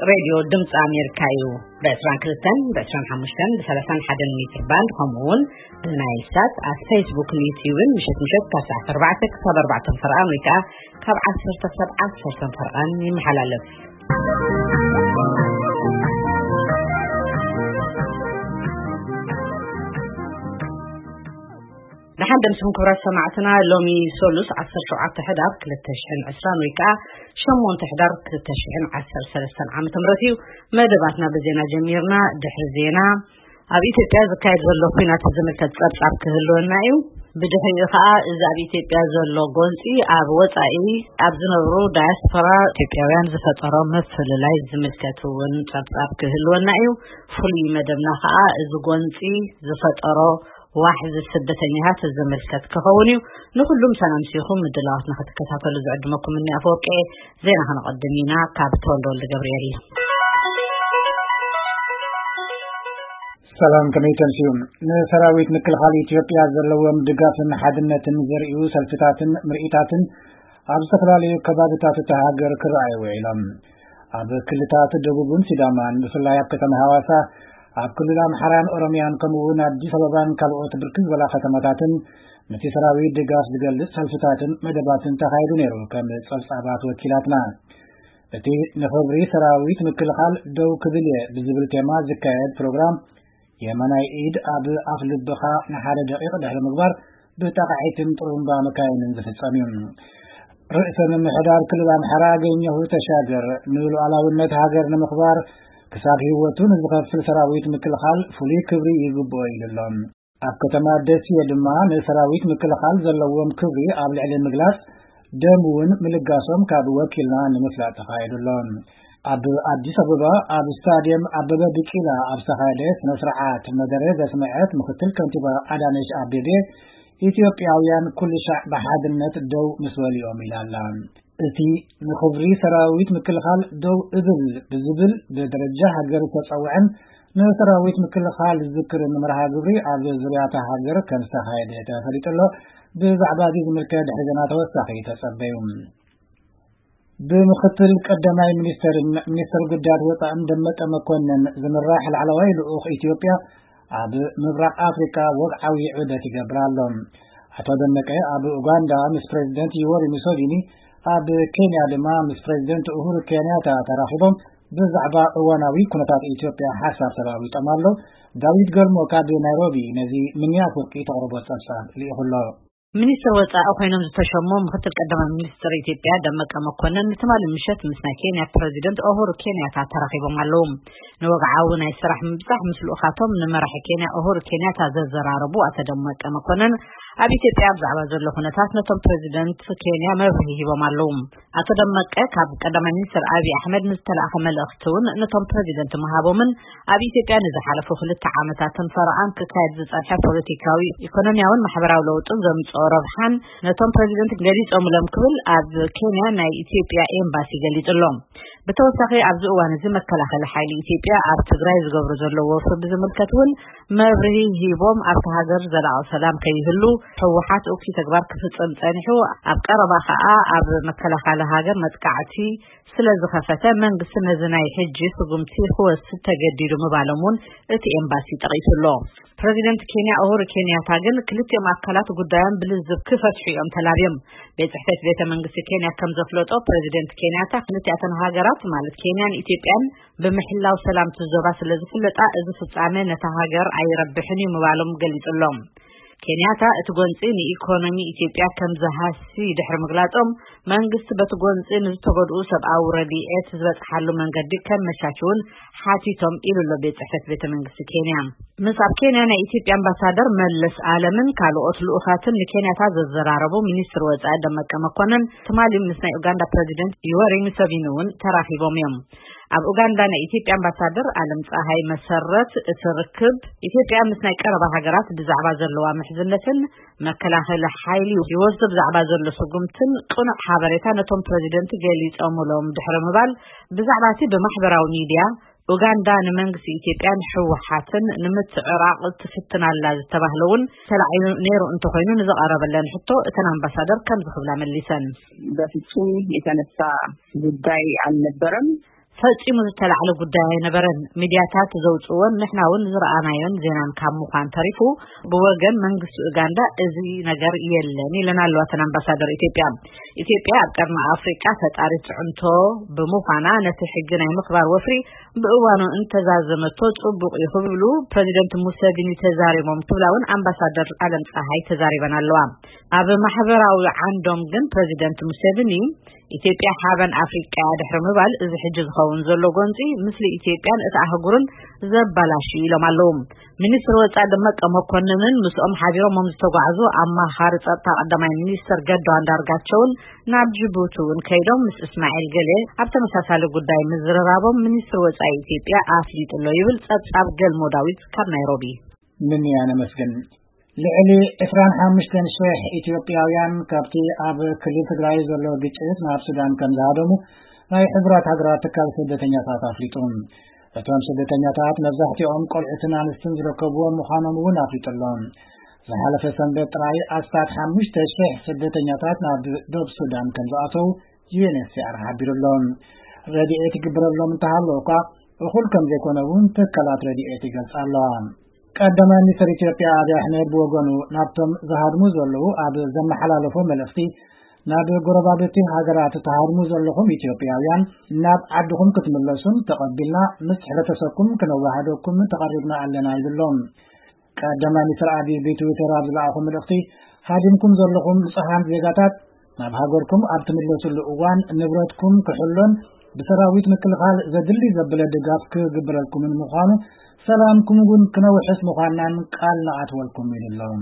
ሬድዮ ድምፂ ኣሜሪካ እዩ። ብ22፣ ብ25፣ ብ31 ሜትር ባንድ፣ ከምኡ እውን ብናይል ሳት ኣብ ፌስቡክን ዩትዩብን ምሸት ምሸት ካብ ሰዓት 4 ክሳብ 4 ፈርቓን ወይ ከዓ ካብ 10 ክሳብ 10 ፈርቓን ይመሓላለፍ። ደሓን ደምስኹም ክቡራት ሰማዕትና። ሎሚ ሰሉስ 17 ሕዳር 2020 ወይ ከዓ 8 ሕዳር 2013 ዓመተ ምህረት እዩ። መደባትና ብዜና ጀሚርና። ድሕሪ ዜና ኣብ ኢትዮጵያ ዝካየድ ዘሎ ኲናት ዝምልከት ጸብጻብ ክህልወና እዩ። ብድሕሪኡ ከዓ እዚ ኣብ ኢትዮጵያ ዘሎ ጎንፂ ኣብ ወፃኢ ኣብ ዝነብሩ ዳያስፖራ ኢትዮጵያውያን ዝፈጠሮ ምፍልላይ ዝምልከት እውን ጸብጻብ ክህልወና እዩ። ፍሉይ መደብና ከዓ እዚ ጎንፂ ዝፈጠሮ ዋሕዚ ስደተኛታት ዝምልከት ክኸውን እዩ። ንኹሉም ሰላም ሲኹም ምድላዋትና ክትከታተሉ ዝዕድመኩም እኒ ኣፈወርቂ። ዜና ከነቐድም ኢና። ካብ ተወልደ ወልደ ገብርኤል። ሰላም፣ ከመይ ተምስዩ? ንሰራዊት ምክልኻል ኢትዮጵያ ዘለዎም ድጋፍን ሓድነትን ዘርእዩ ሰልፍታትን ምርኢታትን ኣብ ዝተፈላለዩ ከባብታት እታ ሃገር ክረኣዩ ውዒሎም። ኣብ ክልታት ደቡብን ሲዳማን፣ ብፍላይ ኣብ ከተማ ሃዋሳ፣ ኣብ ክልል ኣምሓራን ኦሮሚያን፣ ከምኡ እውን ኣዲስ ኣበባን ካልኦት ብርክት ዝበላ ከተማታትን፣ ነቲ ሰራዊት ድጋፍ ዝገልጽ ሰልፍታትን መደባትን ተኻይዱ ነይሩ። ከም ጸብጻባት ወኪላትና፣ እቲ ንኽብሪ ሰራዊት ምክልኻል ደው ክብል እየ ብዝብል ቴማ ዝካየድ ፕሮግራም፣ የማናይ ኢድ ኣብ ኣፍ ልብኻ ንሓደ ደቂቕ ድሕሪ ምግባር፣ ብጣቕዒትን ጥሩምባ መካይንን ዝፍጸም እዩ። ርእሰ ምምሕዳር ክልል ኣምሓራ ኣገኘሁ ተሻገር፣ ንሉዓላውነት ሃገር ንምኽባር ክሳብ ህይወቱ ንዝኸፍል ሰራዊት ምክልኻል ፍሉይ ክብሪ ይግብኦ ኢሉ ኣሎ። ኣብ ከተማ ደሴ ድማ ንሰራዊት ምክልኻል ዘለዎም ክብሪ ኣብ ልዕሊ ምግላጽ፣ ደም እውን ምልጋሶም ካብ ወኪልና ንምፍላጥ ተኻይዱ ኣሎ። ኣብ ኣዲስ ኣበባ ኣብ ስታዲየም ኣበበ ቢቂላ ኣብ ዝተኻየደ ስነ ስርዓት መደረ ዘስምዐት ምክትል ከንቲባ ኣዳነች ኣቤቤ፣ ኢትዮጵያውያን ኩሉ ሻዕ ብሓድነት ደው ምስ በሉ እዮም ኢላ ኣላ። እቲ ንኽብሪ ሰራዊት ምክልኻል ደው እብል ብዝብል ብደረጃ ሃገር ዝተጸውዐን ንሰራዊት ምክልኻል ዝዝክርን መርሃ ግብሪ ኣብ ዙርያ እታ ሃገር ከም ዝተኻየደ ተፈሊጡ ኣሎ። ብዛዕባ እዚ ዝምልከት ድሕሪ ዜና ተወሳኺ ተጸበዩ። ብምክትል ቀዳማይ ሚኒስትር፣ ሚኒስትር ጉዳያት ወጻእን ደመቀ መኮንን ዝምራሕ ላዕለዋይ ልኡኽ ኢትዮጵያ ኣብ ምብራቕ ኣፍሪካ ወግዓዊ ዑደት ይገብር ኣሎ። ኣቶ ደመቀ ኣብ ኡጋንዳ ምስ ፕሬዚደንት ዩወሪ ሙሶቪኒ፣ ኣብ ኬንያ ድማ ምስ ፕሬዚደንት ኡሁሩ ኬንያታ ተራኺቦም ብዛዕባ እዋናዊ ኩነታት ኢትዮጵያ ሓሳብ ተለዋዊጦም ኣለዉ። ዳዊት ገልሞ ካብ ናይሮቢ ነዚ ምንያ ፍርቂ ተቕርቦ ጸብጻብ ልኢኹ ኣሎ። ሚኒስትር ወጻኢ ኮይኖም ዝተሸሙ ምክትል ቀዳማይ ሚኒስትር ኢትዮጵያ ደመቀ መኮንን ንትማሊ ምሸት ምስ ናይ ኬንያ ፕሬዚደንት ኡሁሩ ኬንያታ ተራኺቦም ኣለዉ። ንወግዓዊ ናይ ስራሕ ምብጻሕ ምስ ልኡኻቶም ንመራሒ ኬንያ ኡሁሩ ኬንያታ ዘዘራረቡ ኣቶ ደመቀ መኮንን፣ ኣብ ኢትዮጵያ ብዛዕባ ዘሎ ኩነታት ነቶም ፕሬዚደንት ኬንያ መብርሂ ሂቦም ኣለዉ። ኣቶ ደመቀ ካብ ቀዳማይ ሚኒስትር ኣብይ ኣሕመድ ንዝተላእኸ መልእኽቲ እውን ነቶም ፕሬዚደንት ምሃቦምን ኣብ ኢትዮጵያ ንዝሓለፉ ክልተ ዓመታትን ፈረቓን ክካየድ ዝጸንሐ ፖለቲካዊ፣ ኢኮኖሚያውን ማሕበራዊ ለውጥን ዘምጽኦ ረብሓን ነቶም ፕሬዚደንት ገሊጾምሎም ክብል ኣብ ኬንያ ናይ ኢትዮጵያ ኤምባሲ ገሊጹ ኣሎ። ብተወሳኺ ኣብዚ እዋን እዚ መከላኸሊ ሓይሊ ኢትዮጵያ ኣብ ትግራይ ዝገብሮ ዘሎ ወፍሪ ብዝምልከት እውን መብርሂ ሂቦም፣ ኣብቲ ሃገር ዘላቒ ሰላም ከይህሉ ህወሓት እኩይ ተግባር ክፍጽም ጸኒሑ፣ ኣብ ቀረባ ከኣ ኣብ መከላኸሊ ሃገር መጥቃዕቲ ስለ ዝኸፈተ መንግስቲ ነዚ ናይ ሕጂ ስጉምቲ ክወስድ ተገዲዱ ምባሎም እውን እቲ ኤምባሲ ጠቒሱ ኣሎ። ፕሬዚደንት ኬንያ ኡሁሩ ኬንያታ ግን ክልቲኦም ኣካላት ጉዳዮም ብልዝብ ክፈትሑ እዮም ተላብዮም። ቤት ጽሕፈት ቤተ መንግስቲ ኬንያ ከም ዘፍለጦ፣ ፕሬዚደንት ኬንያታ ክልቲኣተን ሃገራት ማለት ኬንያን ኢትዮጵያን ብምሕላው ሰላም እቲ ዞባ ስለ ዝፍለጣ፣ እዚ ፍጻመ ነታ ሃገር ኣይረብሕን እዩ ምባሎም ገሊጹ ኣሎ። ኬንያታ እቲ ጎንጺ ንኢኮኖሚ ኢትዮጵያ ከም ዝሃሲ ድሕሪ ምግላጾም፣ መንግስቲ በቲ ጎንጺ ንዝተጎድኡ ሰብኣዊ ረድኤት ዝበጽሓሉ መንገዲ ከመቻችውን ሓቲቶም ኢሉ ኣሎ ቤት ጽሕፈት ቤተ መንግስቲ ኬንያ። ምስ ኣብ ኬንያ ናይ ኢትዮጵያ ኣምባሳደር መለስ ኣለምን ካልኦት ልኡኻትን ንኬንያታ ዘዘራረቡ ሚኒስትር ወጻኢ ደመቀ መኮንን ትማሊ ምስ ናይ ኡጋንዳ ፕሬዚደንት ዩወሪ ሙሰቪኒ እውን ተራኺቦም እዮም። ኣብ ኡጋንዳ ናይ ኢትዮጵያ ኣምባሳደር ኣለም ፀሃይ መሰረት እቲ ርክብ ኢትዮጵያ ምስ ናይ ቀረባ ሃገራት ብዛዕባ ዘለዋ ምሕዝነትን መከላኸሊ ሓይሊ ይወስዶ ብዛዕባ ዘሎ ስጉምትን ቅኑዕ ሓበሬታ ነቶም ፕሬዚደንት ገሊጾምሎም ድሕሪ ምባል ብዛዕባ እቲ ብማሕበራዊ ሚድያ ኡጋንዳ ንመንግስቲ ኢትዮጵያን ህወሓትን ንምትዕራቕ ትፍትን ኣላ ዝተባህለ እውን ተላዒሉ ነይሩ እንተኾይኑ ንዝቐረበለን ሕቶ እተን ኣምባሳደር ከምዚ ክብላ መሊሰን። በፍጹም የተነሳ ጉዳይ አልነበረም። ፈጺሙ ዝተላዕለ ጉዳይ ኣይነበረን። ሚድያታት ዘውጽእዎን ንሕና እውን ዝረኣናዮን ዜናን ካብ ምዃን ተሪፉ፣ ብወገን መንግስቲ ኡጋንዳ እዚ ነገር የለን ኢለን ኣለዋ እተን ኣምባሳደር ኢትዮጵያ። ኢትዮጵያ ኣብ ቀርኒ ኣፍሪቃ ፈጣሪት ጽዕንቶ ብምዃና፣ ነቲ ሕጊ ናይ ምኽባር ወፍሪ ብእዋኑ እንተዛዘመቶ ጽቡቕ እዩ ክብሉ ፕረዚደንት ሙሴቪኒ ተዛሪቦም ክብላ እውን ኣምባሳደር ኣለም ፀሃይ ተዛሪበን ኣለዋ። ኣብ ማሕበራዊ ዓንዶም ግን ፕረዚደንት ሙሴቪኒ፣ ኢትዮጵያ ሓበን ኣፍሪቃ እያ ድሕሪ ምባል፣ እዚ ሕጂ ዝኸውን ዘሎ ጎንፂ ምስሊ ኢትዮጵያን እቲ ኣህጉርን ዘባላሽ እዩ ኢሎም ኣለዉ። ሚኒስትር ወፃኢ ደመቀ መኮንንን ምስኦም ሓቢሮም ዝተጓዕዙ ኣማኻሪ ጸጥታ ቀዳማይ ሚኒስትር ገዱ ኣንዳርጋቸውን ናብ ጅቡቲ እውን ከይዶም ምስ እስማኤል ገሌ ኣብ ተመሳሳሊ ጉዳይ ምዝርራቦም ሚኒስትር ወፃኢ ኢትዮጵያ ኣፍሊጡ ኣሎ ይብል ጸብጻብ ገልሞ ዳዊት ካብ ናይሮቢ። ምንያ ነመስግን። ልዕሊ ዕስራን ሓሙሽተን ሽሕ ኢትዮጵያውያን ካብቲ ኣብ ክልል ትግራይ ዘሎ ግጭት ናብ ሱዳን ከም ዝሃደሙ ናይ ሕቡራት ሃገራት ትካል ስደተኛታት ኣፍሊጡ። እቶም ስደተኛታት መብዛሕትኦም ቆልዑትን ኣንስትን ዝርከብዎም ምዃኖም እውን ኣፍሊጡ ኣሎ። ዝሓለፈ ሰንበት ጥራይ ኣስታት ሓሙሽተ ሽሕ ስደተኛታት ናብ ደቡብ ሱዳን ከም ዝኣተው ዩ ኤን ኤች ሲ ኣር ሓቢሩ ኣሎ። ረድኤት ይግበረሎም እንተሃለወ እኳ እኹል ከም ዘይኮነ እውን ትካላት ረድኤት ይገልጻ ኣለዋ። ቀዳማይ ሚኒስትር ኢትዮጵያ ኣብይ ኣሕመድ ብወገኑ ናብቶም ዝሃድሙ ዘለዉ ኣብ ዘመሓላለፎ መልእኽቲ፣ ናብ ጎረባብቲ ሃገራት ትሃድሙ ዘለኹም ኢትዮጵያውያን ናብ ዓድኹም ክትምለሱን ተቐቢልና ምስ ሕብረተሰብኩም ክነዋህደኩም ተቐሪብና ኣለና ይብሎም። ቀዳማይ ሚኒስትር ኣብይ ብትዊተር ኣብ ዝለኣኹ መልእኽቲ፣ ሃዲምኩም ዘለኹም ንጹሃን ዜጋታት ናብ ሃገርኩም ኣብ ትምለስሉ እዋን ንብረትኩም ክሕሎን ብሰራዊት ምክልኻል ዘድሊ ዘበለ ድጋፍ ክግበረልኩምን ምዃኑ፣ ሰላምኩም እውን ክነውሕስ ምዃንናን ቃል ንኣትወልኩም ኢሉ ኣሎ።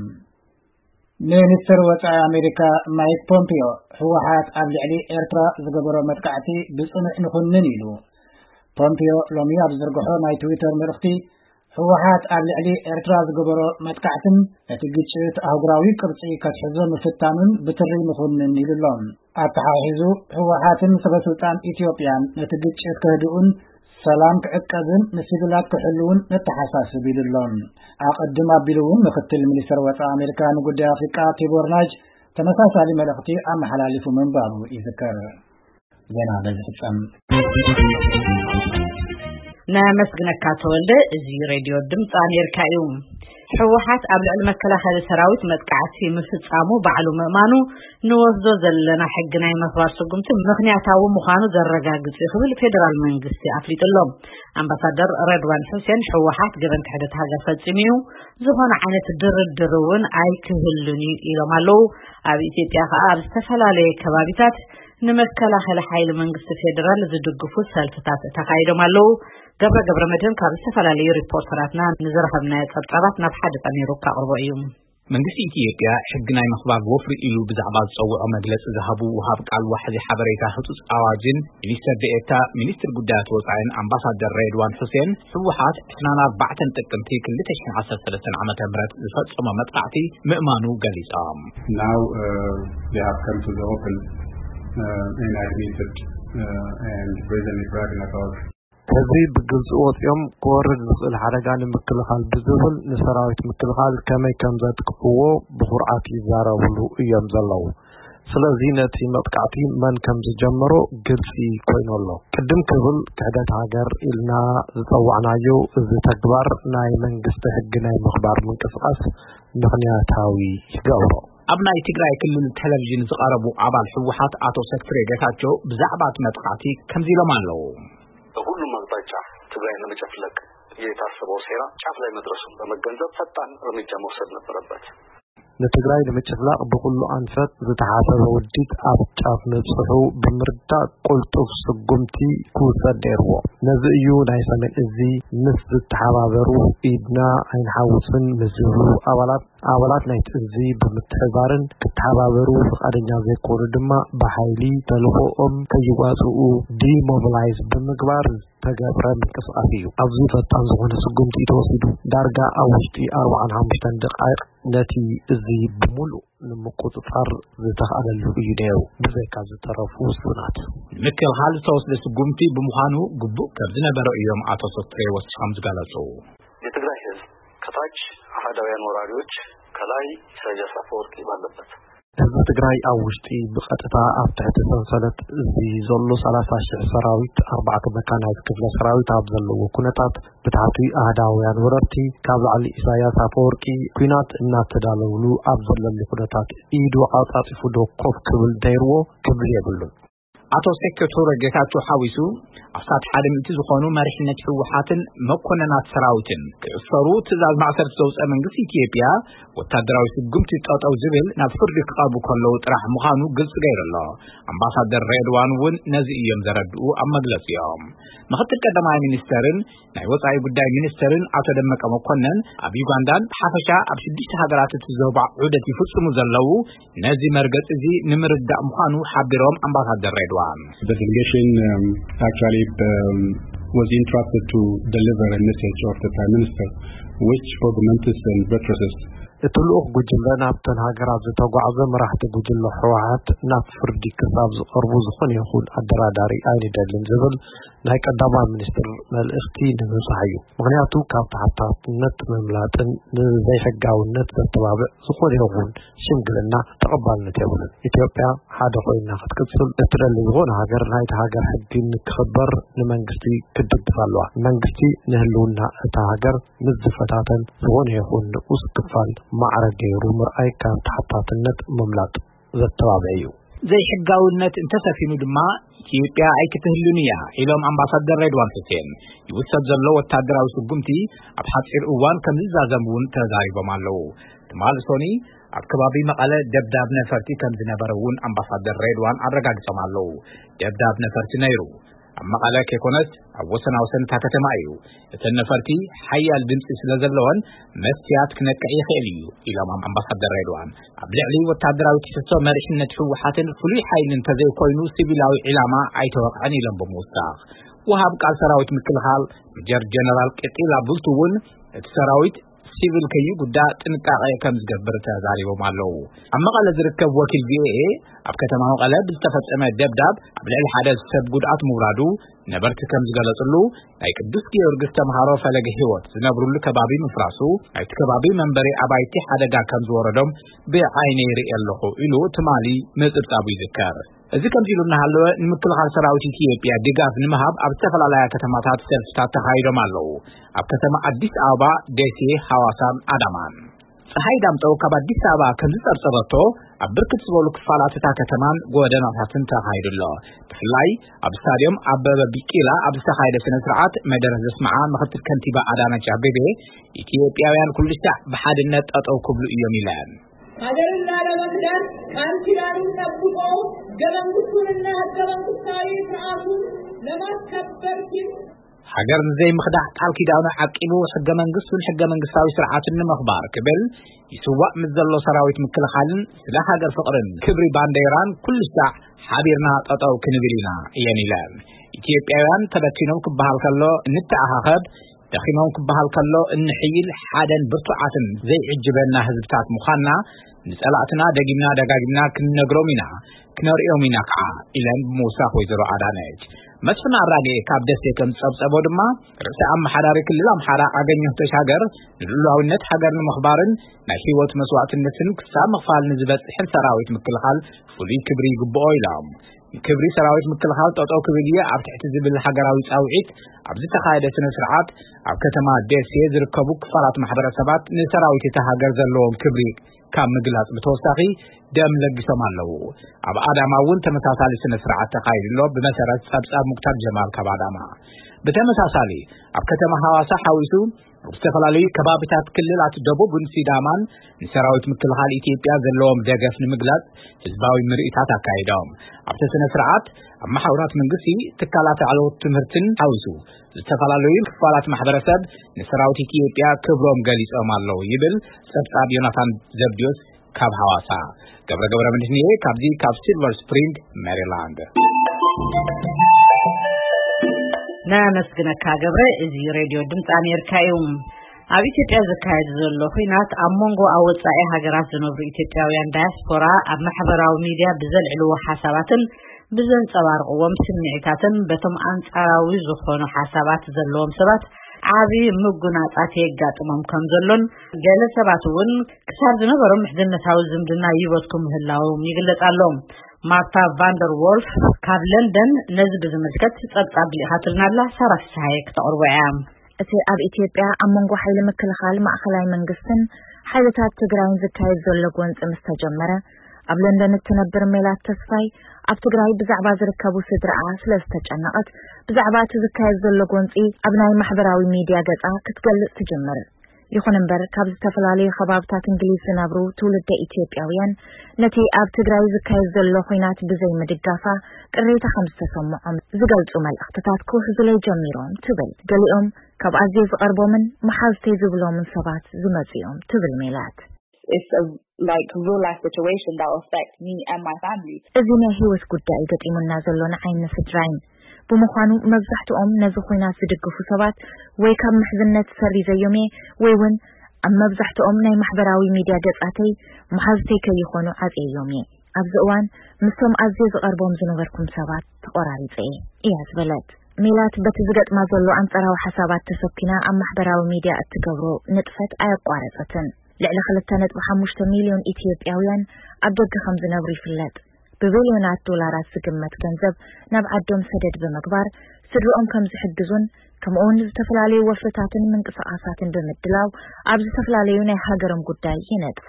ሚኒስትር ወጻኢ ኣሜሪካ ማይክ ፖምፒዮ፣ ህወሓት ኣብ ልዕሊ ኤርትራ ዝገበሮ መጥቃዕቲ ብጽኑዕ ንኹንን ኢሉ። ፖምፒዮ ሎሚ ኣብ ዝዘርግሖ ናይ ትዊተር መልእኽቲ፣ ህወሓት ኣብ ልዕሊ ኤርትራ ዝገበሮ መጥቃዕትን ነቲ ግጭት ኣህጉራዊ ቅርጺ ከትሕዞ ምፍታኑን ብትሪ ንኹንን ኢሉ ኣሎ። ኣተሓሒዙ፣ ህወሓትን ሰበስልጣን ኢትዮጵያን ነቲ ግጭት ከህድኡን ሰላም ክዕቀብን ንሲቪላት ክሕልውን ነተሓሳስብ ኢሉ ኣሎ። ኣቐድም ኣቢሉ እውን ምክትል ሚኒስትር ወጻኢ ኣሜሪካ ንጉዳይ ኣፍሪቃ ቲቦር ናጅ ተመሳሳሊ መልእኽቲ ኣመሓላሊፉ ምንባሩ ይዝከር። ዜና በዚ ፍጸም። ነመስግነካ ተወልደ። እዚ ሬድዮ ድምፂ ኣሜሪካ እዩ። ህወሓት ኣብ ልዕሊ መከላኸሊ ሰራዊት መጥቃዕቲ ምፍጻሙ ባዕሉ ምእማኑ ንወስዶ ዘለና ሕጊ ናይ ምኽባር ስጉምቲ ምኽንያታዊ ምዃኑ ዘረጋግጽ እዩ ክብል ፌደራል መንግስቲ ኣፍሊጡ ኣሎ። ኣምባሳደር ረድዋን ሑሴን ህወሓት ገበን ክሕደት ሃገር ፈጺሙ እዩ፣ ዝኾነ ዓይነት ድርድር እውን ኣይክህሉን እዩ ኢሎም ኣለዉ። ኣብ ኢትዮጵያ ከኣ ኣብ ዝተፈላለየ ከባቢታት ንመከላኸሊ ሓይሊ መንግስቲ ፌደራል ዝድግፉ ሰልፍታት ተኻይዶም ኣለዉ። ገብረ ገብረ መድህን ካብ ዝተፈላለዩ ሪፖርተራትና ንዝረኸብናዮ ጸብጻባት ናብ ሓደ ጠሚሩ ከቕርቦ እዩ። መንግስቲ ኢትዮጵያ ሕጊ ናይ ምኽባር ወፍሪ ኢሉ ብዛዕባ ዝጸውዖ መግለጺ ዝሃቡ ወሃብ ቃል ዋሕዚ ሓበሬታ ህጹጽ ኣዋጅን ሚኒስተር ዴኤታ ሚኒስትር ጉዳያት ወጻኢን ኣምባሳደር ሬድዋን ሑሴን፣ ህወሓት ዕስራን ኣርባዕተን ጥቅምቲ ክልተ ሽሕን ዓሰርተ ሰለስተን ዓመተ ምህረት ዝፈጸሞ መጥቃዕቲ ምእማኑ ገሊጾም። Now, uh, they have come to the open, uh, and admitted, uh, and brazenly bragging about. ሕዚ ብግልፂ ወፂኦም ክወርድ ዝኽእል ሓደጋ ንምክልኻል ብዝብል ንሰራዊት ምክልኻል ከመይ ከም ዘጥቅዕዎ ብኹርዓት ይዛረብሉ እዮም ዘለዉ። ስለዚ ነቲ መጥቃዕቲ መን ከም ዝጀመሮ ግልፂ ኮይኑ ኣሎ። ቅድም ክብል ክሕደት ሃገር ኢልና ዝፀዋዕናዮ እዚ ተግባር ናይ መንግስቲ ሕጊ ናይ ምኽባር ምንቅስቃስ ምኽንያታዊ ይገብሮ። ኣብ ናይ ትግራይ ክልል ቴሌቪዥን ዝቐረቡ ኣባል ህወሓት ኣቶ ሰትሬ ጌታቸው ብዛዕባ እቲ መጥቃዕቲ ከምዚ ኢሎም ኣለዉ። በሁሉም አቅጣጫ ትግራይን ለመጨፍለቅ የታሰበው ሴራ ጫፍ ላይ መድረሱን በመገንዘብ ፈጣን እርምጃ መውሰድ ነበረበት። ንትግራይ ንምጭፍላቕ ብኹሉ ኣንፈት ዝተሓሰበ ውዲት ኣብ ጫፍ ምብፅሑ ብምርዳእ ቁልጡፍ ስጉምቲ ክውሰድ ነይርዎ። ነዚ እዩ ናይ ሰሜን እዚ ምስ ዝተሓባበሩ ኢድና ኣይንሓውስን ምስ ዝብሉ ኣባላት፣ ኣባላት ናይቲ እዚ ብምትሕባርን ክተሓባበሩ ፍቓደኛ ዘይኮኑ ድማ ብሓይሊ ተልእኾኦም ከይዋፅኡ ዲሞቢላይዝ ብምግባር ዝተገብረ ምንቅስቃስ እዩ። ኣብዚ ፈጣን ዝኾነ ስጉምቲ እዩ ተወሲዱ። ዳርጋ ኣብ ውሽጢ ኣርባዓን ሓሙሽተን ደቃይቕ ነቲ እዚ ብምሉእ ንምቁጽጻር ዝተኻእለሉ እዩ ነይሩ፣ ብዘይካ ዝተረፉ ውሱናት። ንምክልኻል ዝተወስደ ስጉምቲ ብምዃኑ ግቡእ ከም ዝነበሮ እዮም ኣቶ ሶስትሬ ወሲኾም ዝገለጹ። የትግራይ ህዝብ ከታች አህዳውያን ወራሪዎች ከላይ ኢሳያስ አፈወርቂ ባለበት ህዝቢ ትግራይ ኣብ ውሽጢ ብቐጥታ ኣብ ትሕቲ ሰንሰለት እዚ ዘሎ ሰላሳ ሽሕ ሰራዊት፣ ኣርባዕተ መካናይዝ ክፍለ ሰራዊት ኣብ ዘለዎ ኩነታት፣ ብታሕቲ ኣህዳውያን ወረርቲ ካብ ላዕሊ ኢሳያስ ኣፈወርቂ ኲናት እናተዳለውሉ ኣብ ዘለሉ ኩነታት ኢዱ ኣጻጺፉ ዶ ኮፍ ክብል ደይርዎ ክብል የብሉን። ኣቶ ሴኮቱረ ጌታቸው ሓዊሱ ኣስታት ሓደ ሚእቲ ዝኾኑ መሪሕነት ህወሓትን መኮነናት ሰራዊትን ክእሰሩ ትእዛዝ ማእሰርቲ ዘውፀ መንግስቲ ኢትዮጵያ፣ ወታደራዊ ስጉምቲ ጠጠው ዝብል ናብ ፍርዲ ክቐርቡ ከለዉ ጥራሕ ምዃኑ ግልፂ ገይሩ ኣሎ። ኣምባሳደር ሬድዋን እውን ነዚ እዮም ዘረድኡ ኣብ መግለፂኦም። ምክትል ቀዳማይ ሚኒስተርን ናይ ወፃኢ ጉዳይ ሚኒስተርን ኣቶ ደመቀ መኮነን ኣብ ዩጋንዳን ብሓፈሻ ኣብ ሽዱሽተ ሃገራት እቲ ዞባ ዑደት ይፍፅሙ ዘለዉ ነዚ መርገፂ እዚ ንምርዳእ ምዃኑ ሓቢሮም ኣምባሳደር ሬድዋን። The delegation um, actually um, was entrusted to deliver a message of the Prime Minister, which augments and buttresses እቲ ልኡኽ ጉጅለ ናብተን ሃገራት ዝተጓዕዘ፣ መራሕቲ ጉጅለ ህወሓት ናብ ፍርዲ ክሳብ ዝቐርቡ ዝኾነ ይኹን ኣደራዳሪ ኣይንደልን ዝብል ናይ ቀዳማይ ሚኒስትር መልእኽቲ ንምብጻሕ እዩ። ምኽንያቱ ካብ ተሓታትነት ምምላጥን ንዘይሕጋውነት ዘተባብዕ ዝኾነ ይኹን ሽምግልና ተቐባልነት የብሉን። ኢትዮጵያ ሓደ ኮይና ክትቅጽል እትደሊ ዝኾነ ሃገር ናይቲ ሃገር ሕጊ ንክኽበር ንመንግስቲ ክትድግፍ ኣለዋ። መንግስቲ ንህልውና እታ ሃገር ምስ ዝፈታተን ዝኾነ ይኹን ንኡስ ክፋል ማዕረ ገይሩ ምርኣይ ካብ ተሓታትነት ምምላጥ ዘተባብዕ እዩ። ዘይሕጋውነት እንተሰፊኑ ድማ ኢትዮጵያ ኣይክትህሉን እያ ኢሎም ኣምባሳደር ሬድዋን ሑሴን። ይውሰድ ዘሎ ወታደራዊ ስጉምቲ ኣብ ሓፂር እዋን ከም ዝዛዘም እውን ተዛሪቦም ኣለዉ። ትማሊ ሶኒ ኣብ ከባቢ መቐለ ደብዳብ ነፈርቲ ከም ዝነበረ እውን ኣምባሳደር ሬድዋን ኣረጋግጾም ኣለዉ። ደብዳብ ነፈርቲ ነይሩ። ኣብ መቐለ ከይኮነስ ኣብ ወሰናወሰን እታ ከተማ እዩ። እተን ነፈርቲ ሓያል ድምፂ ስለ ዘለወን መስትያት ክነቅዕ ይኽእል እዩ ኢሎም ኣምባሳደር ሬድዋን። ኣብ ልዕሊ ወታደራዊ ትሕዝቶ መሪሕነት ህወሓትን ፍሉይ ሓይሊ እንተዘይኮይኑ ሲቪላዊ ዒላማ ኣይተወቕዐን ኢሎም ብምውሳኽ፣ ወሃብ ቃል ሰራዊት ምክልኻል ሜጀር ጀነራል ቀጢላ ቡልቱ እውን እቲ ሰራዊት ሲቪል ከይጉዳእ ጥንቃቄ ከም ዝገብር ተዛሪቦም ኣለዉ። ኣብ መቐለ ዝርከብ ወኪል ቪኦኤ ኣብ ከተማ መቐለ ብዝተፈጸመ ደብዳብ ኣብ ልዕሊ ሓደ ሰብ ጉድኣት ምውራዱ ነበርቲ ከም ዝገለጽሉ፣ ናይ ቅዱስ ጊዮርጊስ ተምሃሮ ፈለገ ህይወት ዝነብሩሉ ከባቢ ምፍራሱ ናይቲ ከባቢ መንበሪ ኣባይቲ ሓደጋ ከም ዝወረዶም ብዓይነይ ይርኢ ኣለኹ ኢሉ ትማሊ ምጽብጻቡ ይዝከር። እዚ ከምዚ ኢሉ እናሃለወ ንምክልኻል ሰራዊት ኢትዮጵያ ድጋፍ ንምሃብ ኣብ ዝተፈላለያ ከተማታት ሰልፍታት ተኻይዶም ኣለዉ። ኣብ ከተማ ኣዲስ ኣበባ፣ ደሴ፣ ሃዋሳን ኣዳማን። ፀሓይ ዳምጠው ካብ ኣዲስ ኣበባ ከም ዝፀብፀበቶ ኣብ ብርክት ዝበሉ ክፋላት እታ ከተማን ጎደናታትን ተኻይዱ ኣሎ። ብፍላይ ኣብ ስታዲየም ኣበበ ቢቂላ ኣብ ዝተኻየደ ስነ ስርዓት መደረ ዘስምዓ ምክትል ከንቲባ ኣዳነች ኣቤቤ፣ ኢትዮጵያውያን ኩሉ ሻዕ ብሓድነት ጠጠው ክብሉ እዮም ኢለን። ሀገርን ላለመክዳን ቃል ኪዳኑን ጠብቆ ህገ መንግስቱንና ህገ መንግስታዊ ስርዓቱን ለማስከበር ሲል ሃገር ንዘይምኽዳዕ ቃል ኪዳኑ ዓቂቡ ህገ መንግስቱን ህገ መንግስታዊ ስርዓትን ንምኽባር ክብል ይስዋእ ምስ ዘሎ ሰራዊት ምክልኻልን ስለ ሃገር ፍቕርን ክብሪ ባንዴራን ኩሉ ሻዕ ሓቢርና ጠጠው ክንብል ኢና እየን ኢለን። ኢትዮጵያውያን ተበቲኖም ክበሃል ከሎ እንተኣኻኸብ፣ ደኺሞም ክበሃል ከሎ እንሕይል ሓደን ብርቱዓትን ዘይዕጅበና ህዝብታት ምዃንና ንጸላእትና ደጊምና ደጋጊምና ክንነግሮም ኢና፣ ክነርእዮም ኢና ከዓ ኢለን ብምውሳኽ ወይዘሮ ኣዳነች። መስፍን ኣራጌ ካብ ደሴ ከም ዝጸብጸቦ ድማ ርእሰ ኣመሓዳሪ ክልል ኣምሓራ ኣገኘሁ ተሻገር ንልዑላዊነት ሃገር ንምኽባርን ናይ ህይወት መስዋዕትነትን ክሳብ ምኽፋል ንዝበጽሕን ሰራዊት ምክልኻል ፍሉይ ክብሪ ይግብኦ ኢሎም። ንክብሪ ሰራዊት ምክልኻል ጠጠው ክብል እየ ኣብ ትሕቲ ዝብል ሃገራዊ ጻውዒት ኣብ ዝተኻየደ ስነ ስርዓት ኣብ ከተማ ደሴ ዝርከቡ ክፋላት ማሕበረሰባት ንሰራዊት እታ ሃገር ዘለዎም ክብሪ ካብ ምግላጽ ብተወሳኺ ደም ለጊሶም ኣለዉ። ኣብ ኣዳማ እውን ተመሳሳሊ ስነ ስርዓት ተኻይዱ ኣሎ። ብመሰረት ጸብጻብ ሙክታር ጀማል ካብ ኣዳማ። ብተመሳሳሊ ኣብ ከተማ ሃዋሳ ሓዊሱ ኣብ ዝተፈላለዩ ከባቢታት ክልላት ደቡብን ሲዳማን ንሰራዊት ምክልኻል ኢትዮጵያ ዘለዎም ደገፍ ንምግላጽ ህዝባዊ ምርኢታት ኣካይዶም። ኣብቲ ስነ ስርዓት ኣብ መሓውራት መንግስቲ፣ ትካላት ላዕለዎት ትምህርትን ሓዊሱ ዝተፈላለዩ ክፋላት ማሕበረሰብ ንሰራዊት ኢትዮጵያ ክብሮም ገሊጾም ኣለዉ ይብል ጸብጻብ ዮናታን ዘብዲዮስ ካብ ሃዋሳ። ገብረ ገብረ መድህንኤ ካብዚ ካብ ሲልቨር ስፕሪንግ ሜሪላንድ። ነመስግነካ ገብረ። እዚ ሬድዮ ድምፂ ኣሜሪካ እዩ። ኣብ ኢትዮጵያ ዝካየድ ዘሎ ኹናት ኣብ መንጎ ኣብ ወፃኢ ሃገራት ዝነብሩ ኢትዮጵያውያን ዳያስፖራ ኣብ ማሕበራዊ ሚድያ ብዘልዕልዎ ሓሳባትን ብዘንፀባርቕዎም ስምዒታትን በቶም ኣንፃራዊ ዝኾኑ ሓሳባት ዘለዎም ሰባት ዓቢ ምጉናጻት የጋጥሞም ከም ዘሎን፣ ገለ ሰባት እውን ክሳብ ዝነበሮም ምሕዝነታዊ ዝምድና ይበትኩ ምህላዎም ይግለጽ ኣሎ። ማርታ ቫንደር ዎልፍ ካብ ለንደን ነዚ ብዝምልከት ጸብጻብ ልኢኻትልና ኣላ። ሳራ ፍስሃየ ክተቕርቦ እያ። እቲ ኣብ ኢትዮጵያ ኣብ መንጎ ሓይሊ ምክልኻል ማእኸላይ መንግስትን ሓይልታት ትግራይን ዝካየድ ዘሎ ጎንፂ ምስ ተጀመረ፣ ኣብ ለንደን እትነብር ሜላት ተስፋይ፣ ኣብ ትግራይ ብዛዕባ ዝርከቡ ስድራኣ ስለ ዝተጨነቐት፣ ብዛዕባ እቲ ዝካየድ ዘሎ ጎንፂ ኣብ ናይ ማሕበራዊ ሚድያ ገፃ ክትገልጽ ትጅምር። ይኹን እምበር፣ ካብ ዝተፈላለዩ ከባብታት እንግሊዝ ዝነብሩ ትውልደ ኢትዮጵያውያን፣ ነቲ ኣብ ትግራይ ዝካየድ ዘሎ ኹናት ብዘይ ምድጋፋ ቅሬታ ከም ዝተሰምዖም ዝገልጹ መልእኽትታት ክውሕዙለይ ጀሚሮም ትብል። ገሊኦም ካብ ኣዝየ ዝቐርቦምን መሓዝተይ ዝብሎምን ሰባት ዝመጹ እዮም ትብል ሜላት። It's a, like, real life situation that will affect me and my family. እዚ ናይ ህይወት ጉዳይ ገጢሙና ዘሎ ንዓይን ንስድራይን። ብምዃኑ፣ መብዛሕትኦም ነዚ ኹናት ዝድግፉ ሰባት ወይ ካብ ምሕዝነት ሰሪዘዮም እየ፣ ወይ እውን ኣብ መብዛሕትኦም ናይ ማሕበራዊ ሚድያ ገጻተይ መሓዝተይ ከይኾኑ ዓጽየዮም እየ። ኣብዚ እዋን ምስቶም ኣዝየ ዝቐርቦም ዝነበርኩም ሰባት ተቖራሪጸ እየ፣ እያ ዝበለት። ሜላት በቲ ዝገጥማ ዘሎ ኣንጻራዊ ሓሳባት ተሰኪና ኣብ ማሕበራዊ ሚድያ እትገብሮ ንጥፈት ኣየቋረጸትን። ልዕሊ ክልተ ነጥቢ ሓሙሽተ ሚልዮን ኢትዮጵያውያን ኣብ ደገ ከም ዝነብሩ ይፍለጥ። ብቢልዮናት ዶላራት ዝግመት ገንዘብ ናብ ዓዶም ሰደድ ብምግባር ስድርኦም ከም ዝሕግዙን፣ ከምኡውን ዝተፈላለዩ ወፍርታትን ምንቅስቓሳትን ብምድላው ኣብ ዝተፈላለዩ ናይ ሃገሮም ጉዳይ ይነጥፉ።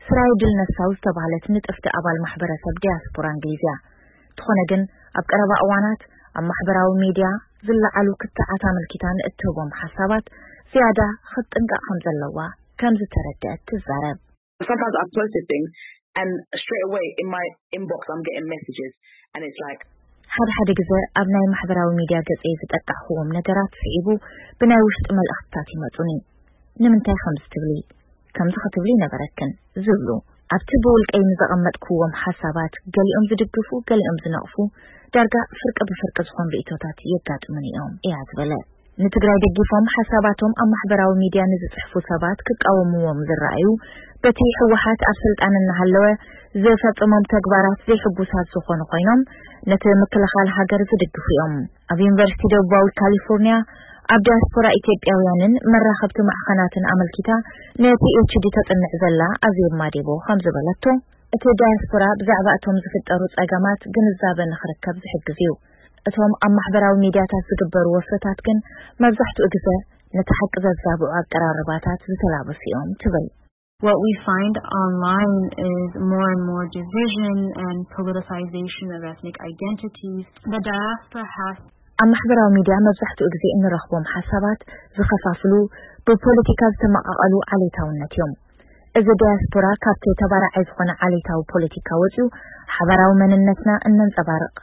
ስራይ ድል ነሳው ዝተባህለት ንጥፍቲ ኣባል ማሕበረሰብ ዲያስፖራ እንግሊዝ እያ። እንተኾነ ግን፣ ኣብ ቀረባ እዋናት ኣብ ማሕበራዊ ሚድያ ዝለዓሉ ክትዓት ኣመልኪታ ንእትህቦም ሓሳባት ዝያዳ ክትጥንቀቕ ከም ዘለዋ ከም ዝተረድአት ትዛረብ። Sometimes I've posted things and straight away in my inbox I'm getting messages and it's like ሓደ ሓደ ግዜ ኣብ ናይ ማሕበራዊ ሚድያ ገጸይ ዝጠቃዕክዎም ነገራት ስዒቡ ብናይ ውሽጢ መልእኽትታት ይመጹኒ። "ንምንታይ ከምዚ ትብሊ? ከምዚ ክትብሊ ነበረክን" ዝብሉ። ኣብቲ ብውልቀይ ንዘቐመጥክዎም ሓሳባት ገሊኦም ዝድግፉ፣ ገሊኦም ዝነቕፉ፣ ዳርጋ ፍርቂ ብፍርቂ ዝኾኑ ርእይቶታት የጋጥሙኒ እዮም፣ እያ ዝበለ። ንትግራይ ደጊፎም ሓሳባቶም ኣብ ማሕበራዊ ሚድያ ንዝጽሕፉ ሰባት ክቃወምዎም ዝረኣዩ፣ በቲ ህወሓት ኣብ ስልጣን እናሃለወ ዝፈጸሞም ተግባራት ዘይሕጉሳት ዝኾኑ ኮይኖም፣ ነቲ ምክልኻል ሃገር ዝድግፉ እዮም። ኣብ ዩኒቨርሲቲ ደቡባዊ ካሊፎርኒያ ኣብ ዲያስፖራ ኢትዮጵያውያንን መራኸብቲ ማዕኸናትን ኣመልኪታ ንፒኤችዲ ተጽንዕ ዘላ ኣዜብ ማዴቦ ከም ዝበለቶ፣ እቲ ዳያስፖራ ብዛዕባ እቶም ዝፍጠሩ ጸገማት ግንዛበ ንኽርከብ ዝሕግዝ እዩ። እቶም ኣብ ማሕበራዊ ሚድያታት ዝግበሩ ወፍርታት ግን መብዛሕትኡ ግዘ ነቲ ሓቂ ዘዛብዑ ኣቀራርባታት ዝተላበሱ እዮም ትብል። What we find online is more and more division and politicization of ethnic identities. The diaspora has ኣብ ማሕበራዊ ሚድያ መብዛሕትኡ ግዜ እንረኽቦም ሓሳባት ዝኸፋፍሉ፣ ብፖለቲካ ዝተመቓቐሉ ዓሌታውነት እዮም። እዚ ዲያስፖራ ካብቲ ተባራዓይ ዝኾነ ዓሌታዊ ፖለቲካ ወፂኡ ሓባራዊ መንነትና እነንፀባርቕ፣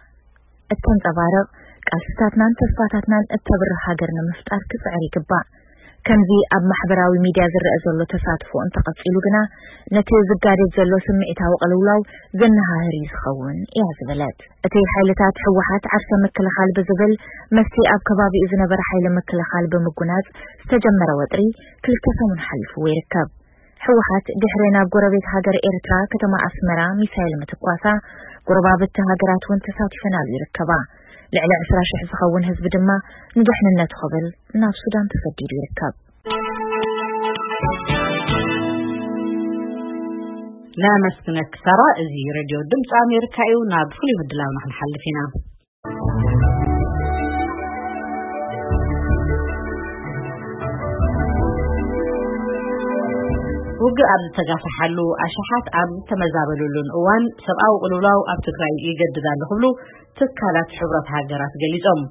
እተንፀባርቕ፣ ቃልስታትናን ተስፋታትናን እተብርህ ሃገር ንምፍጣር ክፅዕር ይግባእ። ከምዚ ኣብ ማሕበራዊ ሚድያ ዝረአ ዘሎ ተሳትፎ እንተቐፂሉ ግና ነቲ ዝጋደድ ዘሎ ስምዒታዊ ቅልውላው ዘነሃህር እዩ ዝኸውን፣ እያ ዝበለት። እቲ ሓይልታት ህወሓት ዓርሰ ምክልኻል ብዝብል ምስቲ ኣብ ከባቢኡ ዝነበረ ሓይሊ ምክልኻል ብምጉናጽ ዝተጀመረ ወጥሪ ክልተ ሰሙን ሓሊፍዎ ይርከብ። ህወሓት ድሕሪ ናብ ጎረቤት ሃገር ኤርትራ ከተማ ኣስመራ ሚሳይል ምትኳሳ፣ ጎረባብቲ ሃገራት እውን ተሳቲፈናሉ ይርከባ። ልዕሊ ዕስራ ሽሕ ዝኸውን ህዝቢ ድማ ንድሕንነቱ ክብል ናብ ሱዳን ተሰዲዱ ይርከብ። ነመስግነኪ ሳራ። እዚ ሬድዮ ድምፂ ኣሜሪካ እዩ። ናብ ፍሉይ ምድላውና ክንሓልፍ ኢና። ውግእ ኣብ ዝተጋፈሓሉ፣ ኣሽሓት ኣብ ዝተመዛበሉሉን እዋን፣ ሰብኣዊ ቅልውላው ኣብ ትግራይ ይገድድ ኣሎ ክብሉ ትካላት ሕብረት ሃገራት ገሊጾም።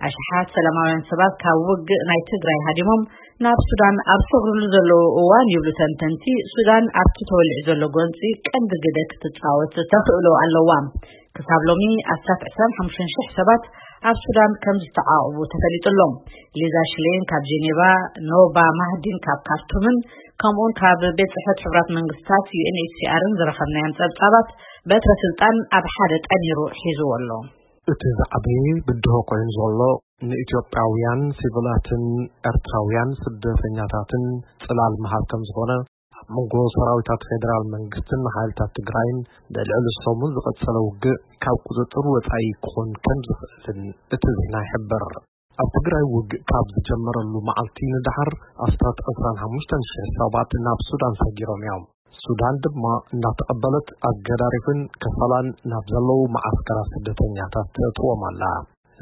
ኣሽሓት ሰላማውያን ሰባት ካብ ውግእ ናይ ትግራይ ሃዲሞም ናብ ሱዳን ኣብ ዝሰግሩሉ ዘለዉ እዋን ይብሉ ተንተንቲ፣ ሱዳን ኣብቲ ተወሊዑ ዘሎ ጎንጺ ቀንዲ ግደ ክትጻወት ተኽእሎ ኣለዋ። ክሳብ ሎሚ ኣስታት ዕስራን ሓሙሽተን ሽሕ ሰባት ኣብ ሱዳን ከም ዝተዓቑቡ ተፈሊጡ ኣሎ። ሊዛ ሽሌን ካብ ጄኔቫ፣ ኖባ ማህዲን ካብ ካርቱምን ከምኡውን ካብ ቤት ጽሕፈት ሕቡራት መንግስታት ዩ ኤን ኤች ሲ ኣርን ዝረኸብናዮም ጸብጻባት በትረ ስልጣን ኣብ ሓደ ጠሚሩ ሒዝዎ ኣሎ። እቲ ዝዓበየ ብድሆ ኮይኑ ዘሎ ንኢትዮጵያውያን ሲቪላትን ኤርትራውያን ስደተኛታትን ጽላል ምሃብ ከም ዝኾነ ኣብ መንጎ ሰራዊታት ፌደራል መንግስትን ሓይልታት ትግራይን ንልዕሊ ሰሙን ዝቐጸለ ውግእ ካብ ቁጽጽር ወጻኢ ክኾን ከም ዝኽእልን እቲ ዜና ይሕብር። ኣብ ትግራይ ውግእ ካብ ዝጀመረሉ መዓልቲ ንደሓር ኣስታት ዕስራን ሓሙሽተን ሽሕ ሰባት ናብ ሱዳን ሰጊሮም እዮም። ሱዳን ድማ እናተቐበለት ኣገዳሪፍን ከፈላን ናብ ዘለዉ መዓስከራት ስደተኛታት ተእትዎም ኣላ።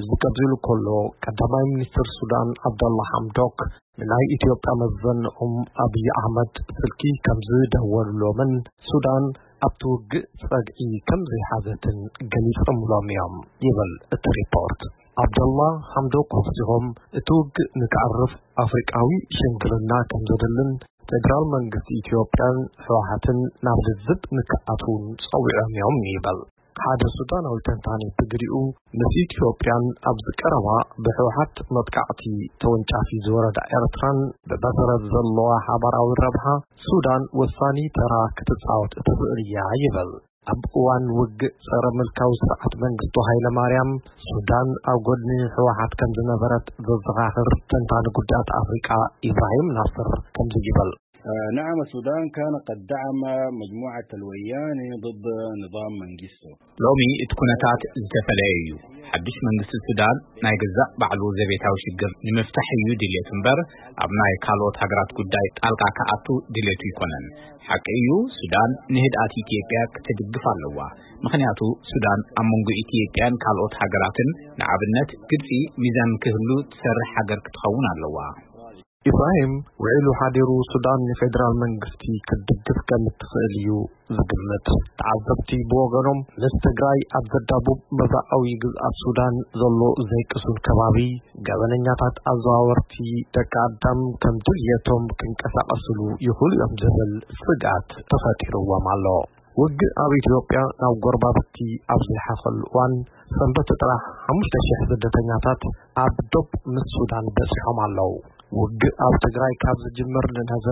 እዚ ከምዚ ኢሉ ከሎ፣ ቀዳማይ ሚኒስትር ሱዳን ዓብደላ ሓምዶክ ንናይ ኢትዮጵያ መዘንኦም ኣብይ ኣሕመድ ስልኪ ከም ዝደወሉሎምን ሱዳን ኣብቲ ውግእ ጸግዒ ከም ዘይሓዘትን ገሊጾምሎም እዮም ይብል እቲ ሪፖርት። ዓብደላ ሓምዶክ ወሲኾም፣ እቲ ውግእ ንክዓርፍ ኣፍሪቃዊ ሽምግልና ከም ዘድልን ፌደራል መንግስቲ ኢትዮጵያን ህወሓትን ናብ ልዝብ ንክኣትዉን ጸዊዖም እዮም ይብል። ሓደ ሱዳናዊ ተንታኒ ብግዲኡ፣ ምስ ኢትዮጵያን ኣብዚ ቀረባ ብህወሓት መጥቃዕቲ ተወንጫፊ ዝወረዳ ኤርትራን ብመሰረት ዘለዋ ሓባራዊ ረብሓ ሱዳን ወሳኒ ተራ ክትጻወት እትኽእል እያ ይብል። ኣብ እዋን ውግእ ጸረ ምልካዊ ስርዓት መንግስቱ ሃይለ ማርያም ሱዳን ኣብ ጎድኒ ህወሓት ከም ዝነበረት ዘዘኻኽር ተንታኒ ጉዳያት ኣፍሪቃ ኢብራሂም ናስር ከምዚ ይብል። آه، نعم، السودان كان قد دعم مجموعة الوياني ضد نظام منغيستو. ሎሚ እቲ ኩነታት ዝተፈለየ እዩ። ሓድሽ መንግስቲ ሱዳን ናይ ገዛእ ባዕሉ ዘቤታዊ ሽግር ንምፍታሕ እዩ ድልየቱ እምበር፣ ኣብ ናይ ካልኦት ሃገራት ጉዳይ ጣልቃ ክኣቱ ድልየቱ ኣይኮነን። ሓቂ እዩ፣ ሱዳን ንህድኣት ኢትዮጵያ ክትድግፍ ኣለዋ። ምኽንያቱ ሱዳን ኣብ መንጎ ኢትዮጵያን ካልኦት ሃገራትን፣ ንኣብነት ግብጺ፣ ሚዛን ክህሉ ትሰርሕ ሃገር ክትኸውን ኣለዋ። ኢብራሂም ውዒሉ ሓዲሩ ሱዳን ንፌደራል መንግስቲ ክትድግፍ ከም እትኽእል እዩ ዝግምት። ተዓዘብቲ ብወገኖም፣ ምስ ትግራይ ኣብ ዘዳቡብ ምብራቓዊ ግዝኣት ሱዳን ዘሎ ዘይቅሱን ከባቢ፣ ገበነኛታት ኣዘዋወርቲ ደቂ ኣዳም ከም ድልየቶም ክንቀሳቐስሉ ይኽእሉ እዮም ዝብል ስግኣት ተፈጢርዎም ኣሎ። ውግእ ኣብ ኢትዮጵያ ናብ ጎረባብቲ ኣብ ዝለሓኸሉ እዋን፣ ሰንበት ጥራሕ ሓሙሽተ ሽሕ ስደተኛታት ኣብ ዶብ ምስ ሱዳን በጺሖም ኣለዉ። ውግእ ኣብ ትግራይ ካብ ዝጅምር ንነዘ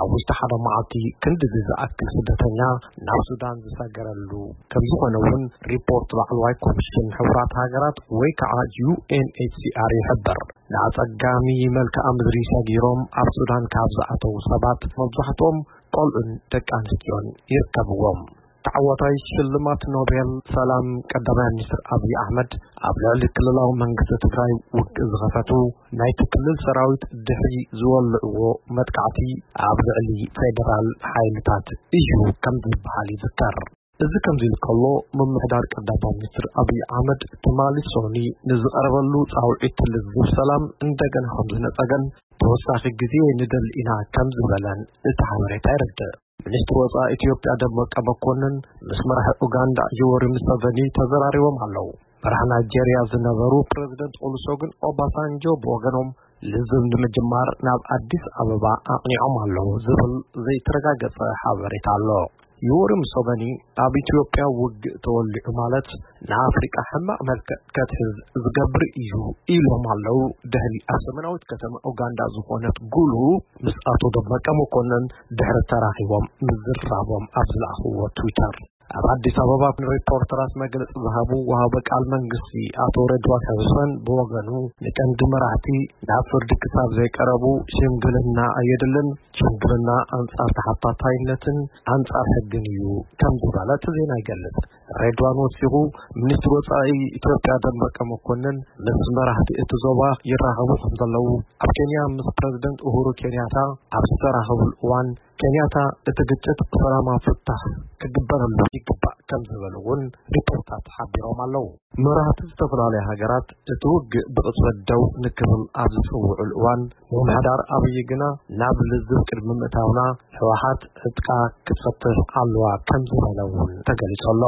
ኣብ ውሽጢ ሓደ መዓልቲ ክንድዚ ዝኣክል ስደተኛ ናብ ሱዳን ዝሰገረሉ ከም ዝኾነ እውን ሪፖርት ላዕለዋይ ኮሚሽን ሕቡራት ሃገራት ወይ ከዓ ዩ ኤን ኤች ሲ ኣር ይሕብር። ንኣጸጋሚ መልክዓ ምድሪ ሰጊሮም ኣብ ሱዳን ካብ ዝኣተዉ ሰባት መብዛሕትኦም ቆልዑን ደቂ ኣንስትዮን ይርከብዎም። ተዓዋታይ ሽልማት ኖቤል ሰላም ቀዳማይ ሚኒስትር ኣብይ ኣሕመድ ኣብ ልዕሊ ክልላዊ መንግስቲ ትግራይ ውግእ ዝኸፈቱ ናይቲ ክልል ሰራዊት ድሕሪ ዝወልዕዎ መጥቃዕቲ ኣብ ልዕሊ ፌደራል ሓይልታት እዩ ከም ዝበሃል ይዝከር። እዚ ከምዚ ኢሉ ከሎ፣ ምምሕዳር ቀዳማይ ሚኒስትር ኣብይ ኣሕመድ ትማሊ ሶኒ ንዝቐረበሉ ጻውዒት ልዝብ ሰላም እንደገና ከም ዝነጸገን ተወሳኺ ግዜ ንደሊ ኢና ከም ዝበለን እቲ ሓበሬታ የረድእ። ሚኒስትሪ ወጻኢ ኢትዮጵያ ደመቀ መኮንን ምስ መራሒ ኡጋንዳ ዮወሪ ሙሰቨኒ ተዘራሪቦም ኣለዉ። መራሒ ናይጄርያ ዝነበሩ ፕረዚደንት ኦሉሰጉን ኦባሳንጆ ብወገኖም ልዝብ ንምጅማር ናብ ኣዲስ ኣበባ ኣቕኒዖም ኣለዉ ዝብል ዘይተረጋገጸ ሓበሬታ ኣሎ። ዮወሪ ሙሰቨኒ ኣብ ኢትዮጵያ ውግእ ተወሊዑ ማለት ንኣፍሪቃ ሕማቕ መልክዕ ከትሕዝ ዝገብር እዩ ኢሎም ኣለዉ። ደህሊ ኣብ ሰሜናዊት ከተማ ኡጋንዳ ዝኾነት ጉሉ ምስ ኣቶ ደመቀ መኮንን ድሕሪ ተራኺቦም ምዝራቦም ኣብ ዝለኣኽዎ ትዊተር። ኣብ ኣዲስ ኣበባ ንሪፖርተራት መግለጺ ዝሃቡ ወሃቢ ቃል መንግስቲ ኣቶ ረድዋን ሕሰን ብወገኑ፣ ንቀንዲ መራሕቲ ናብ ፍርዲ ክሳብ ዘይቀረቡ ሽምግልና ኣየድልን፣ ሽምግልና ኣንጻር ተሓታታይነትን ኣንጻር ሕግን እዩ ከም ዝበለ እቲ ዜና ይገልጽ። ሬድዋን ወሲኹ፣ ሚኒስትሪ ወጻኢ ኢትዮጵያ ደመቀ መኮንን ምስ መራሕቲ እቲ ዞባ ይራኸቡ ከም ዘለዉ፣ ኣብ ኬንያ ምስ ፕረዚደንት ኡሁሩ ኬንያታ ኣብ ዝተራኸቡሉ እዋን፣ ኬንያታ እቲ ግጭት ሰላማዊ ፍታሕ ክግበረሉ ይግባእ ከም ዝበሉ እውን ሪፖርታት ሓቢሮም ኣለዉ። መራሕቲ ዝተፈላለዩ ሃገራት እቲ ውግእ ብቕጽበት ደው ንክብል ኣብ ዝጽውዑሉ እዋን፣ ምምሕዳር ኣብይ ግና ናብ ልዝብ ቅድሚ ምእታውና ህወሓት ዕጥቃ ክትፈትሕ ኣለዋ ከም ዝበለ እውን ተገሊጹ ኣሎ።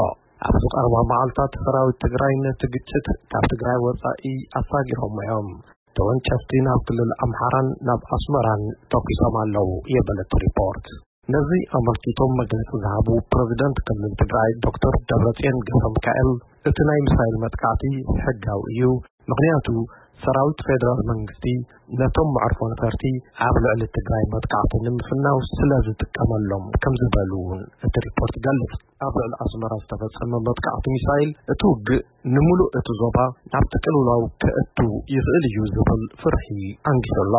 ኣብዚ ቀረባ መዓልታት ሰራዊት ትግራይ ነቲ ግጭት ካብ ትግራይ ወጻኢ ኣሳጊሮሞ እዮም። ተወንጨፍቲ ናብ ክልል ኣምሓራን ናብ ኣስመራን ተኲሶም ኣለዉ የበለ እቲ ሪፖርት። ነዚ ኣመልኪቶም መግለጺ ዝሃቡ ፕረዚደንት ክልል ትግራይ ዶክተር ደብረጽዮን ገብረሚካኤል፣ እቲ ናይ ሚሳይል መጥቃዕቲ ሕጋዊ እዩ፣ ምኽንያቱ ሰራዊት ፌደራል መንግስቲ ነቶም መዕርፎ ነፈርቲ ኣብ ልዕሊ ትግራይ መጥቃዕቲ ንምፍናው ስለ ዝጥቀመሎም ከም ዝበሉ እውን እቲ ሪፖርት ይገልጽ። ኣብ ልዕሊ ኣስመራ ዝተፈጸመ መጥቃዕቲ ሚሳይል እቲ ውግእ ንምሉእ እቲ ዞባ ናብ ጥቅልላው ከእቱ ይኽእል እዩ ዝብል ፍርሒ ኣንጊሱ ኣሎ።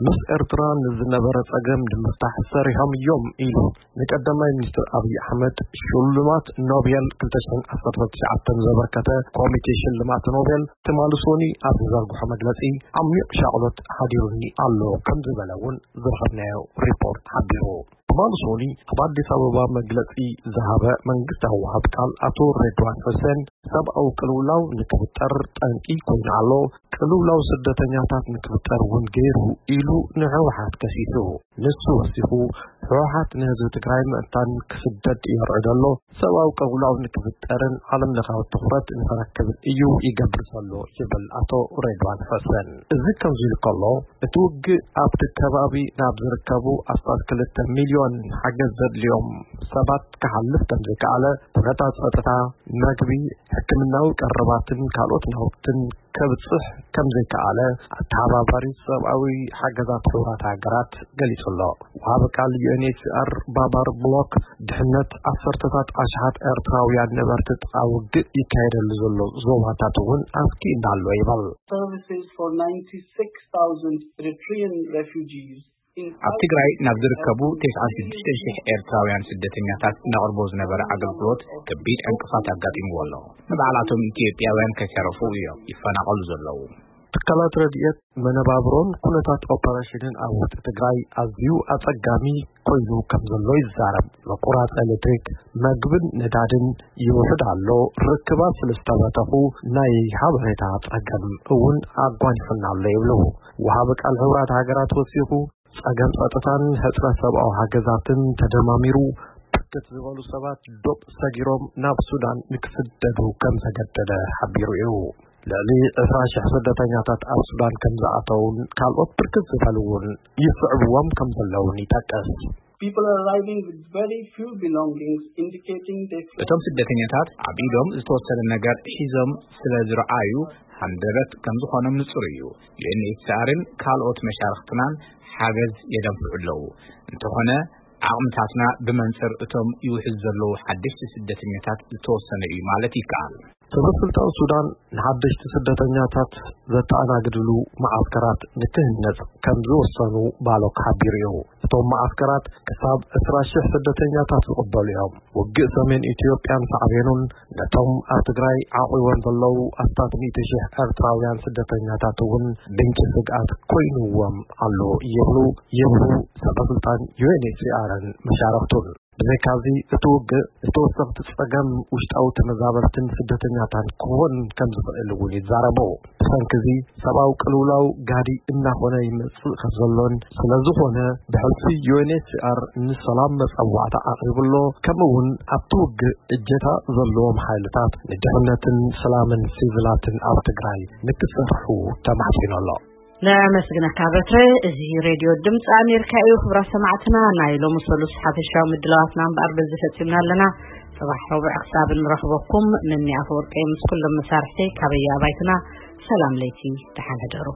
ምስ ኤርትራ ንዝነበረ ጸገም ንምፍታሕ ሰሪሖም እዮም ኢሉ። ንቀዳማይ ሚኒስትር ኣብይ ኣሕመድ ሽልማት ኖቤል ክልተ ሽሕን ዓሰርተ ትሽዓተን ዘበርከተ ኮሚቴ ሽልማት ኖቤል ትማሊ ሶኒ ኣብ ዝዘርግሖ መግለጺ፣ ዓሚቕ ሻቕሎት ሓዲሩኒ ኣሎ ከም ዝበለ እውን ዝረኸብናዮ ሪፖርት ሓቢሩ። ትማሊ ሶኒ ኣብ ኣዲስ ኣበባ መግለጺ ዝሃበ መንግስታዊ ወሃብ ቃል ኣቶ ሬድዋን ሑሴን፣ ሰብኣዊ ቅልውላው ንክፍጠር ጠንቂ ኮይኑ ኣሎ፣ ቅልውላው ስደተኛታት ንክፍጠር እውን ገይሩ ኢሉ ንህወሓት ከሲሱ። ንሱ ወሲኹ፣ ህወሓት ንህዝቢ ትግራይ ምዕታን ክስደድ የርዕድ ኣሎ፣ ሰብኣዊ ቅልውላው ንክፍጠርን ዓለም ለኻዊ ትኹረት ንክረክብን እዩ ይገብር ዘሎ ይብል ኣቶ ሬድዋን ሑሴን። እዚ ከምዚ ኢሉ ከሎ፣ እቲ ውግእ ኣብቲ ከባቢ ናብ ዝርከቡ ኣስታት ክልተ ሚልዮን ሓገዝ ዘድልዮም ሰባት ክሓልፍ ከም ዘይከኣለ፣ ኩነታት ጸጥታ፣ መግቢ፣ ሕክምናዊ ቀረባትን ካልኦት ናውትን ከብጽሕ ከም ዘይከኣለ፣ ኣተሓባባሪ ሰብኣዊ ሓገዛት ሕቡራት ሃገራት ገሊጹ ኣሎ። ወሃቢ ቃል ዩ ኤን ኤች ሲ ኣር ባባር ብሎክ፣ ድሕነት ዓሰርተታት ኣሽሓት ኤርትራውያን ነበርቲ ጥቓ ውግእ ይካየደሉ ዘሎ ዞባታት እውን ኣስጊእና ኣሎ ይብል። Services for ninety-six thousand Eritrean refugees in ኣብ ትግራይ ናብ ዝርከቡ ተስዓን ሽዱሽተ ሽሕ ኤርትራውያን ስደተኛታት ነቕርቦ ዝነበረ ኣገልግሎት ከቢድ ዕንቅፋት ኣጋጢምዎ ኣሎ። ንባዕላቶም ኢትዮጵያውያን ከይተረፉ እዮም ይፈናቐሉ ዘለዉ። ትካላት ረድኤት መነባብሮን ኩነታት ኦፐሬሽንን ኣብ ውሽጢ ትግራይ ኣዝዩ ኣጸጋሚ ኮይኑ ከም ዘሎ ይዛረብ። መቁራጽ ኤሌክትሪክ፣ መግብን ነዳድን ይውሕድ ኣሎ። ርክባት ስለ ዝተበተኹ ናይ ሓበሬታ ጸገም እውን ኣጓኒሑና ኣሎ ይብሉ። ወሃቢ ቃል ሕቡራት ሃገራት ወሲኹ፣ ጸገም ጸጥታን ሕጽረት ሰብኣዊ ሓገዛትን ተደማሚሩ ብርክት ዝበሉ ሰባት ዶብ ሰጊሮም ናብ ሱዳን ንክስደዱ ከም ዘገደደ ሓቢሩ እዩ። ልዕሊ ዕስራ ሽሕ ስደተኛታት ኣብ ሱዳን ከም ዝኣተውን ካልኦት ብርክት ዝበሉ እውን ይስዕብዎም ከም ዘለውን ይጠቅስ። People are arriving with very few belongings, indicating they እቶም ስደተኛታት ኣብ ኢዶም ዝተወሰነ ነገር ሒዞም ስለ ዝረኣዩ ሃንደበት ከም ዝኾኖም ንጹር እዩ። ዩ ኤን ኤች ሲ ኣርን ካልኦት መሻርኽትናን ሓገዝ የደንፍዑ ኣለዉ። እንተኾነ ዓቕምታትና ብመንጽር እቶም ይውሕዙ ዘለዉ ሓደሽቲ ስደተኛታት ዝተወሰነ እዩ ማለት ይከኣል። ሰበ ስልጣን ሱዳን ንሓደሽቲ ስደተኛታት ዘተኣናግድሉ መዓስከራት ንክህነጽ ከም ዝወሰኑ ባሎክ ሓቢሩ እዩ። እቶም መዓስከራት ክሳብ ዕስራ ሽሕ ስደተኛታት ዝቕበሉ እዮም። ውግእ ሰሜን ኢትዮጵያን ሳዕቤኑን ነቶም ኣብ ትግራይ ዓቑቦም ዘለዉ ኣስታት ሚእቲ ሽሕ ኤርትራውያን ስደተኛታት እውን ምንጪ ስግኣት ኮይንዎም ኣሎ ይብሉ፣ ይብሉ ሰበ ስልጣን ዩ ኤን ኤች ሲ ኣርን መሻርኽቱን። ብዘይካዚ እቲ ውግእ ንተወሰኽቲ ጸገም ውሽጣዊ ተመዛበልትን ስደተኛታን ክኾን ከም ዝኽእል እውን ይዛረቡ። ብሰንኪ እዚ ሰብኣዊ ቅልውላው ጋዲ እናኾነ ይመጽእ ከም ዘሎን ስለ ዝኾነ ብሕልፊ ዩ ኤን ኤች ሲ ኣር ንሰላም መጸዋዕታ ኣቕሪቡ ኣሎ። ከምኡ እውን ኣብቲ ውግእ እጀታ ዘለዎም ሓይልታት ንድሕነትን ሰላምን ሲቪላትን ኣብ ትግራይ ንክሰርሑ ተማሕጺኑ ኣሎ። ነመስግነካ በትረ። እዚ ሬድዮ ድምፂ ኣሜሪካ እዩ። ክብራት ሰማዕትና፣ ናይ ሎሚ ሰሉስ ሓፈሻዊ ምድላዋትና እምበኣር በዚ ፈፂምና ኣለና። ፅባሕ ረቡዕ ክሳብ እንረኽበኩም፣ ምኒ ኣፈወርቂ ምስ ኩሎም መሳርሕተይ ካበየ ኣባይትና ሰላም ለይቲ፣ ደሓን ሕደሩ።